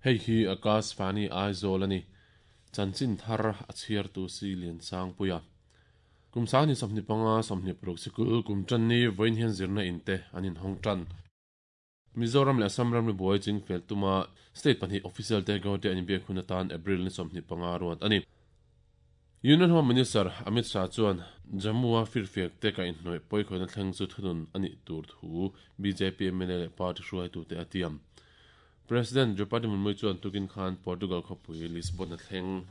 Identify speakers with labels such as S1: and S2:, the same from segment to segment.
S1: Hei hi Akashvani Aizawl a ni. Chanchin thar a chhiartu si Liansangpuia. Kum sangni 25 26 sikul kum tan ni vawiin hian zirna in te an inhawng tan. Mizoram leh Assam ramri buai chingfel tuma state pahnih official te Guwahati an inbiak hun atan April ni 25 ruat a ni. Union Home Minister Amit Shah chuan Jammu-a firfiak te kaihhnawih pawikhawihna thleng chu thunun a nih tur thu bjp mla leh party hruaitute a tiam. President Draupadi Murmu chuan tukin khan Portugal khawpui Lisbon a thleng.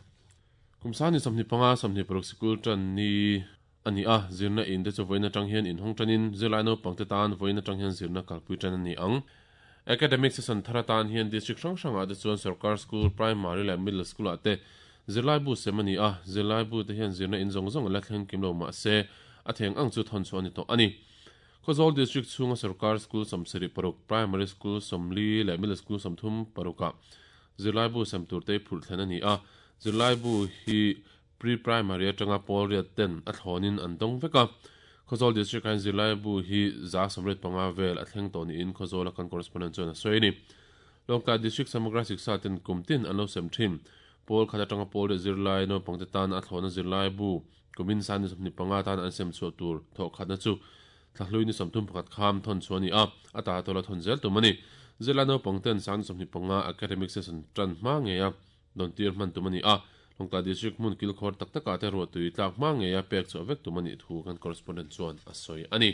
S1: Kum sangni 25 26 sikul tan ni a ni a, zirna in te chu vawiin atang hian inhawng tanin zirlai naupangte tan vawiin atang hian zirna kalpui tan a ni ang. Academic session thar atan hian district hrang hrangah te chuan sarkar school, primary leh middle school ah te zirlai bu sem a ni a, zirlai bu te hian zirna in zawng zawng a la thleng kim lo mah se a theng ang chu thawn chhuah a ni tawh a ni. Khawzawl district chhunga sarkar school 76, primary school 40 leh middle school 36 ah zirlai bu sem tur te phurh thlen a ni a, zirlai bu hi Pre-primary atanga pawl riat ten a thlawnin an dawng vek a. Khawzawl District ah hian zirlaibu hi 185 vel a thleng tawh niin Khawzawla kan correspondent chuan a sawi a ni. Lawngtlai District Samagra Siksa ten kum tin an lo sem thin. Pawl khat atanga pawl riat zirlai naupangte tana a thlawna zirlaibu kumin sani 25 tan an sem chhuah tur thawh khatna chu thlahlui ni 31 kham thawn chhuah a ni a, a ta tawla thawn zel tum a ni. Zirlai naupang ten sani 25 academic session tan hma ngei a Dawntir hman tum a ni a, Lawngtlai District hmun kilkhawr tak takah te ruahtui tlak hma ngeia pek chhuah vek tum a nih thu kan correspondent chuan a sawi a ni.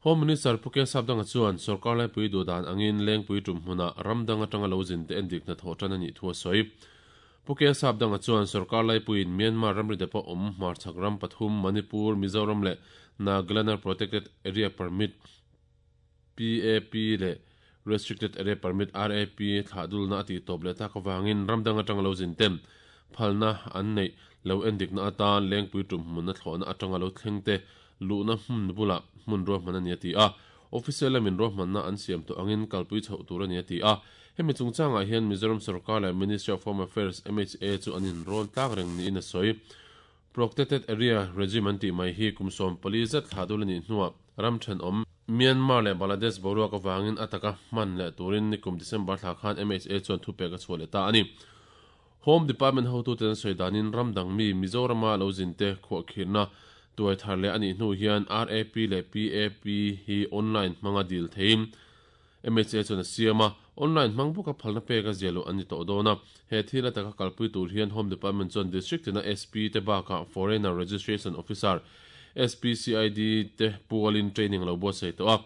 S1: Home Minister Pu K Sapdanga chuan sorkar laipui duhdan angin Lengpui tum hmunah ram dang atanga lo zin te endik hnathawh tan a nih thu a sawi. Pu K Sapdanga chuan sorkar laipuiin Myanmar ramri depawh awm hmarchhak ram pathum Manipur, Mizoram leh Nagaland-a Protected Area Permit, PAP, leh Restricted Area Permit, RAP, thlah dulna a tihtawp leh tak avangin ram dang atanga lo zin ten phalna an neih lo endikna atan Lengpui tum hmunna thlawhna atanga lo thleng te luhna hmun bulah hmun ruahman a ni a ti a. Official lamin ruahmanna an siam tawh angin kalpui chhoh tur a ni a ti a. Hemi chungchangah hian Mizoram sorkar leh Ministry of Home Affairs, MHA, chu an inrawn tlak reng niin a sawi. Protected Area Regime an tih mai hi kum 14 zet thlah dul a nih hnuah ram thenawm Myanmar leh Bangladesh boruak avangin a taka hman leh turin nikum December thla khan MHA chuan thupek a chhuah leh ta a ni. Home Department hotuten an sawi danin ram dang mi Mizorama lo zinte khuahkhirhna tuai thar leh a nih hnu hian RAP leh PAP hi online hmanga dil theiin MHA chuan a siam a, online hmang bawka phalna pek a zia loh an ni tawh dawn a. He thil a taka kalpui tur hian Home Department chuan District tina SP te bakah Foreigner Registration Officer, SPCID, te pualin training a lo buatsaih tawh a.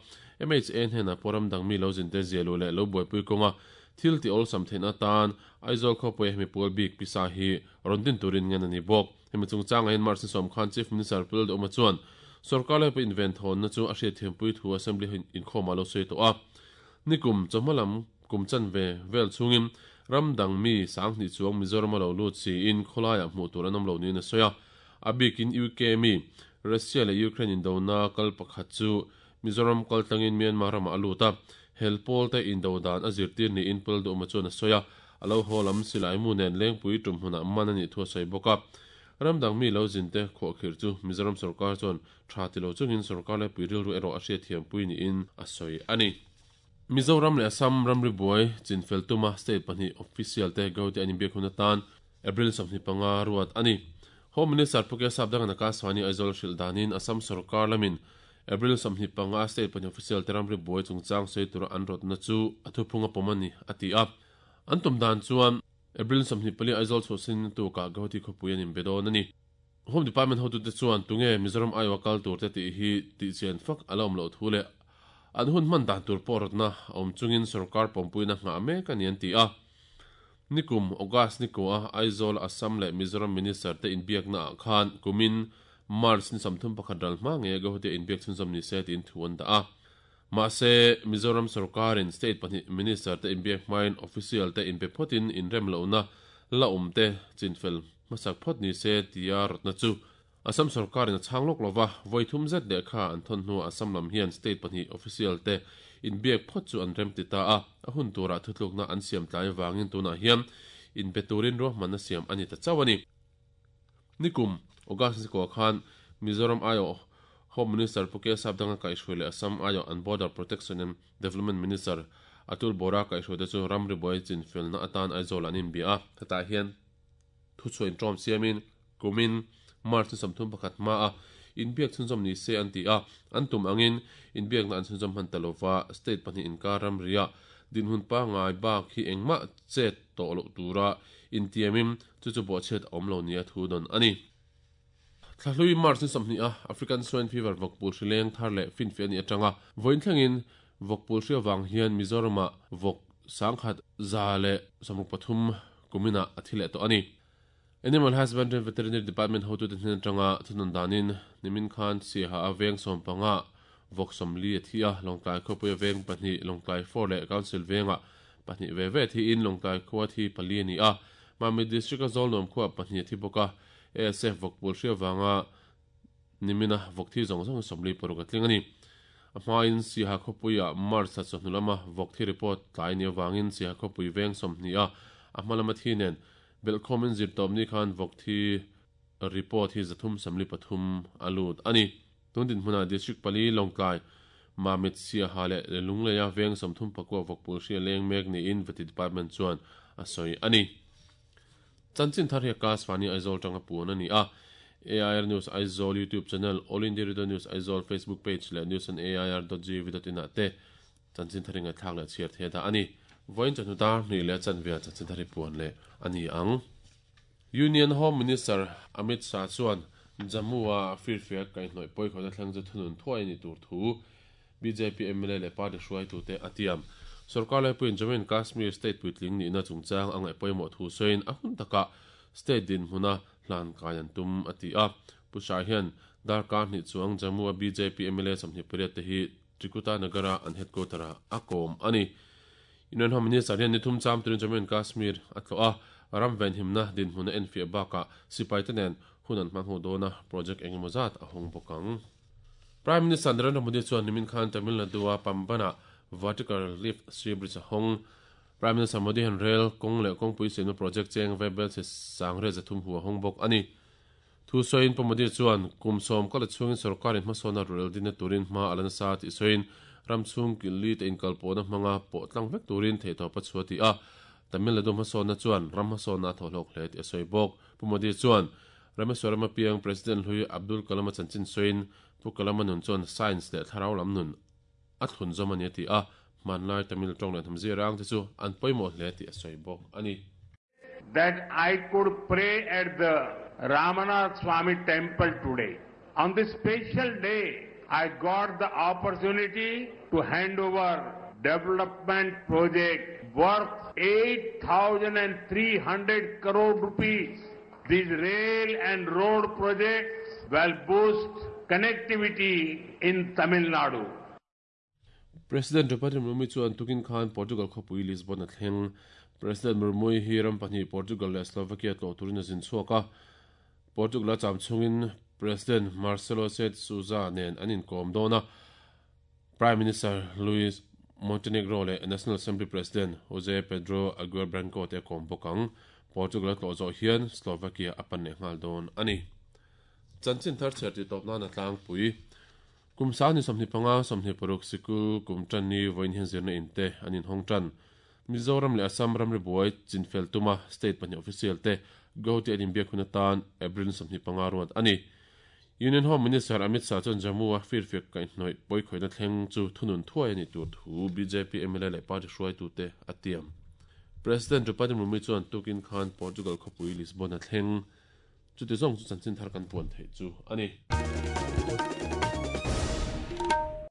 S1: MHA hnenah pawh ram dang mi lo zinte zia luh leh lo buaipui kawnga thil ti awlsam theihna atan Aizawl khawpuia hemi pual bik pisa hi rawn din turin ngen a ni bawk. Hemi chungchangah hian March ni sawm khan Chief Minister Pu Lalduhoma chuan sorkar laipa inventhawnna chu a hriatthiampui thu Assembly inkhawmah a lo sawi tawh a. Nikum chawhma lam kum chanve vel chhungin ram dang mi 2000 chuang Mizoram a lo lut siin khawlaiah hmuh tur an awm lo niin a sawi a. A bikin UK mi Russia leh Ukraine indona kal pakhat chu Mizoram kal tlangin Myanmar ramah a lut a, hel pawl te indo dan a zirtir niin Pu Lalduhoma chuan a sawi a. A lo haw lam silaimu nen Lengpui tum hmunah man a nih thu a sawi bawk a. Ram dang mi lo zinte khuahkhirh chu Mizoram sorkar chuan tha ti lo chungin sorkar laipui rilru erawh a hriatthiampui niin a sawi a ni. Mizoram leh Assam ramri buai chinfel tuma state pahnih official te Gauti an inbiak hun atan April 25 ruat a ni. Home Minister Pu K Sapdanga Nakaswani Aizawl hrilh danin Assam sorkar lamin April 25 state pahnih official te ramri buai chungchang sawi tura an rawtna chu a thuphung a pawm a ni, a ti a. An tum dan chuan April 24 Aizawl chhuahsin tukah Guwahati khawpui an inbe dawn a ni. Home Department hotute chuan tunge Mizoram aiawha kal tur te tih hi tihchian fak a la awm loh thu leh an hun hman dan tur pawh rawtna a awm chungin sorkar pawmpuina nghah mek a ni an ti a. Nikum August ni kua Aizawl, Assam leh Mizoram Minister te inbiakna ah khan kumin March ni 31 ral hma ngei Guwahati a inbiak chhunzawm ni se tiin thu an dah a. Mahse, Mizoram sorkarin state pahnih minister te inbiak hmain official te inpe phawtin inrem lohna la awm te chinfel hmasak phawt ni se tia rawtna chu Assam sorkarin a chhang lawk lova, vawi thum zet lehkha an thawn hnuah Assam lam hian state pahnih official te inbiak phawt chu an rem ti ta a, a hun turah thutlukna an siam tlai avangin tunah hian inbe turin ruahmanna siam a ni ta chauh a ni. Nikum, August ni kua khan Mizoram aiawh Home Minister Pu K Sapdanga kaihhruai leh Assam aiawh an Border Protection and Development Minister Atul Bora kaihhruaite chu ramri buai chinfelna atan Aizawl an inbia a, hetah hian thuchhuah inṭawm siamin kumin March ni 31 hmaa inbiak chhunzawm ni se an ti a, an tum angin inbiakna an chhunzawm hman ta lova, state pahnih inkar ramriah dinhmun pangngai bak hi engmah chet tawh loh tura intiamin chu chu bawhchhiat a awm lo nia thu dawn a ni. Thlahlui March ni 20 a African Swine Fever vawkpul hri leng thar leh finfiah a nih atanga vawiin thlengin vawkpul hri avang hian Mizoramah vawk 1163 kuminah a thi leh tawh a ni. Animal Husbandry and Veterinary Department hotute hnen atanga thunun danin nimin khan Siaha a veng sawmpanga vawk 40 a thi a, Lawngtlai khawpuia veng pahnih Lawngtlai Four leh Council vengah pahnih ve ve thiin Lawngtlai khua thi pali a ni a, Mamit District-a Zawlnuam khuaah pahnih a thi bawk a. ASF vawkpul hria vanga nimina vawk thi zawng zawng hi 46 a tling a ni. A hmain Siaha khawpuiah March thla chawhnu lama vawk thi report tlai ni avangin Siaha khawpui veng 20 a a hma lama thi nen belhkhawmin zirtawpni khan vawk thi report hi 343 a lut a ni. Tun dinhmunah District pali Lawngtlai, Mamit, Siaha leh Lungleia veng 34 vawkpul hria leng mek niin Vety Department chuan a sawi a ni. Chanchin thar hi Akashvani Aizawl tanga puan a ni a. AIR News Aizawl YouTube channel, All India Radio News Aizawl Facebook page leh news on air dot gov dot in ah te chanchin thar hi ngaihthlak leh chhiar thei a dah a ni. Vawiin chawhnu dar hnih leh chanve ah chanchin thar hi puan leh a ni ang. Union Home Minister Amit Shah chuan Jammu-a firfiak kaihhnawih pawikhawhna thleng chu thunun thuai a nih tur thu bjp mla leh party hruaitute a tiam. Sorkar laipuiin Jammu and Kashmir state puitling nihna chungchang a ngaih pawimawh thu sawiin a hun takah state dinhmuna hlan kai an tum a ti a. Pu Shah hian darkar hnih chuang Jammu-a bjp mla 28 te hi Trikuta Nagar-a an headquarter-ah a kawm a ni. Union Home Minister hian ni thum cham turin Jammu and Kashmir a tlawh a, ram venhimna dinhmun a enfiah bakah sipaite nen hun an hmang ho dawn a, project engemaw zat a hawng bawk ang. Prime Minister Narendra Modi chuan nimin khan Tamil Nadu-a Pamban-ah Vertical Lift Sea Bridge a hawng. Prime Minister Modi hian rel, kawng leh kawngpui siamna project cheng ve bel chhe sangriat 300 hu a hawng bawk a ni. Thu sawiin Pu Modi chuan kum sawm kal chhungin sorkarin hmasawnna rel dinna turin hma a la nasa tih sawiin ram chhung killi te inkalpawhna hmanga pawh tlang vek turin theihtawp a chhuah tih a, Tamil Nadu hmasawnna chuan ram hmasawnna a thawhhlawk hle tih a sawi bawk. Pu Modi chuan Rameswaram apiang President hlui Abdul Kalam-a chanchin sawiin Pu Kalam-a nun chuan science leh thlarau lam nun a thlun zawm a ni a ti a, hmanlai Tamil tawng leh hnam zirang te chu an pawimawh hle tih a sawi bawk a ni.
S2: That I could pray at the Ramanath Swami temple today. On this special day, I got the opportunity to hand over development project worth 8,300 crore rupees. These rail and road projects will boost connectivity in Tamil Nadu.
S1: President Draupadi Murmu chuan tukin khan Portugal khawpui Lisbon a thleng. President Murmu hi ram pahnih Portugal leh Slovakia tlawh turin a zin chhuak a. Portugal a cham chungin President Marcelo Sed Sousa nen an inkawm dawn a. Prime Minister Luis Montenegro leh National Assembly President Jose Pedro Aguiar Branco te a kawm bawk ang. Portugal a tlawh zawh hian Slovakia a pan leh nghal dawn a ni. Chanchin thar chhiar tih tawp nan a tlangpui. Kum sang ni 25, 26 sikul kum tan ni vawiin hian zirna in te an inhawng tan. Mizoram leh Assam ramri buai chinfel tuma state pahnih official te Guwahati an inbiak hun atan April ni 25 ruat a ni. Union Home Minister Amit Shah chuan Jammu-a firfiak kaihhnawih pawikhawihna thleng chu thunun thuai a nih tur thu bjp mla leh party hruaitute a tiam. President Draupadi Murmu chuan tukin khan Portugal khawpui Lisbon a thleng. Chuti zawng chu chanchin thar kan puan theih chu a ni.